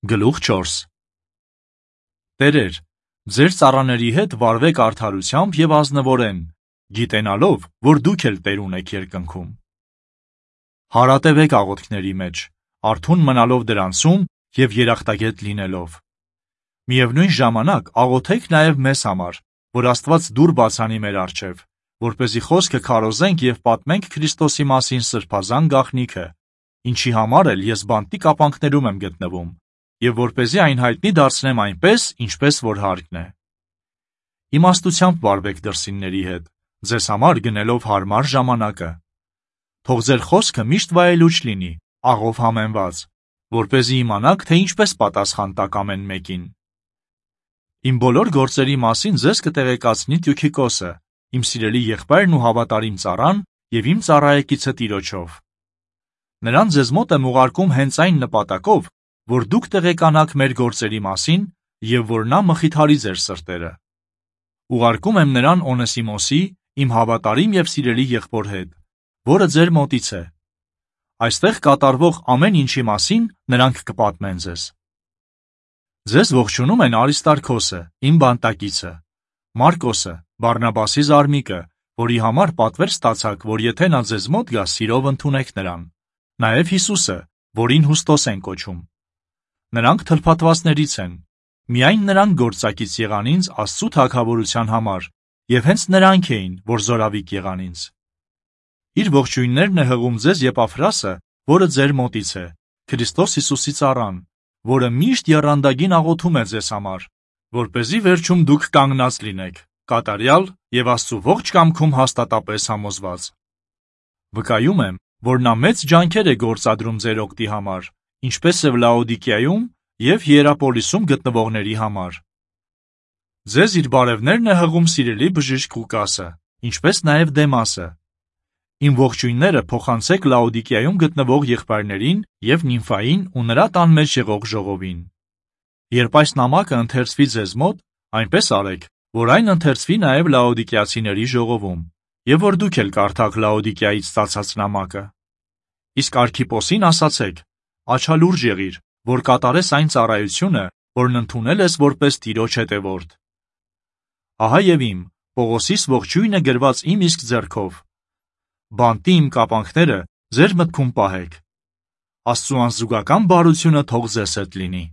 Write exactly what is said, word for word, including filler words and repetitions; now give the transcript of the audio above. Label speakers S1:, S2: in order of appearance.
S1: Գլուխ չորս Տերեր, ձեր ծառաների հետ վարվեք արդարությամբ և ազնվորեն, գիտենալով, որ դուք էլ Տեր ունեք երկնքում։ Հարատևեք աղոթքների մեջ, արթուն մնալով դրանցում և երախտագետ լինելով։ Միևնույն ժամանակ աղոթեք նաև մեզ համար, որ Աստված դուռ բացանի մեր առջև, որպեսզի խոսքը քարոզենք և պատմենք Քրիստոսի մասին սրբազան գաղտնիքը, ինչի համար էլ ես բանտի կապանքներում եմ գտնվում, և որպեսզի այն հայտնի դարձնեմ այնպես, ինչպես որ հարկն է։ Իմաստությամբ վարվեք դրսինների հետ, ձեզ համար գնելով հարմար ժամանակը։ Թող ձեր խոսքը միշտ վայելուչ լինի, աղով համեմված, որպեսզի իմանաք, թե ինչպես պատասխան տաք ամեն մեկին։ Իմ բոլոր գործերի մասին ձեզ կտեղեկացնի Տյուքիկոսը, իմ սիրելի եղբայրն ու հավատարիմ ծառան և իմ ծառայեկիցը Տիրոջով։ Նրան ձեզ մոտ եմ ուղարկում հենց այն նպատակով, որ դուք տեղեկանաք մեր գործերի մասին և որ նա մխիթարի ձեր սրտերը։ Ուղարկում եմ նրան Օնեսիմոսի, իմ հավատարիմ և սիրելի եղբոր հետ, որը ձեր մոտից է։ Այստեղ կատարվող ամեն ինչի մասին նրանք կպատմեն ձեզ։ Ձեզ ողջունում են Արիստարքոսը, իմ բանտակիցը, Մարկոսը, Բարնաբասի զարմիկը, որի համար պատվեր ստացաք, որ եթե նա ձեզ մոտ գա, սիրով ընդունեք նրան, նաև Հիսուսը, որին Հուստոս են կոչում։ Նրանք թլփատվածներից են, միայն նրանք գործակից եղան ինձ Աստծու թագավորության համար, և հենց նրանք էին, որ զորավիք եղան ինձ։ Իր ողջույններն է հղում ձեզ Եպաֆրասը, որը ձեր մոտից է, Քրիստոս Հիսուսի ծառան, որը միշտ եռանդագին աղոթում է ձեզ համար, որպեսզի վերջում դուք կանգնած լինեք, կատարյալ և Աստծու ողջ կամքում հաստատապես համոզված։ Վկայում եմ, որ նա մեծ ջանքեր է գործադրում ձեր օգտի համար, ինչպես և Լաոդիկիայում և Հիերապոլիսում գտնվողների համար։ Ձեզ իր բարևներն է հղում սիրելի բժիշկ Ղուկասը, ինչպես նաև Դեմասը։ Իմ ողջույնները փոխանցեք Լաոդիկիայում գտնվող եղբայրներին և Նիմֆային ու նրա տան մեջ եղող ժողովին։ Երբ այս նամակը ընթերցվի ձեզ մոտ, այնպես արեք, որ այն ընթերցվի նաև Լաոդիկիացիների ժողովում, և որ դուք էլ կարդաք Լաոդիկիայից ստացած նամակը։ Իսկ Արքիպոսին ասացեք. «Աչալուրջ եղիր, որ կատարես այն ծառայությունը, որն ընդունել ես որպես Տիրոջ հետևորդ»։ Ահա և իմ, Պողոսիս ողջույնը գրված իմ իսկ ձեռքով։ Բանտի իմ կապանքները ձեր մտքում պահեք։ Աստծու անզուգական բարությունը թող ձեզ հետ լինի։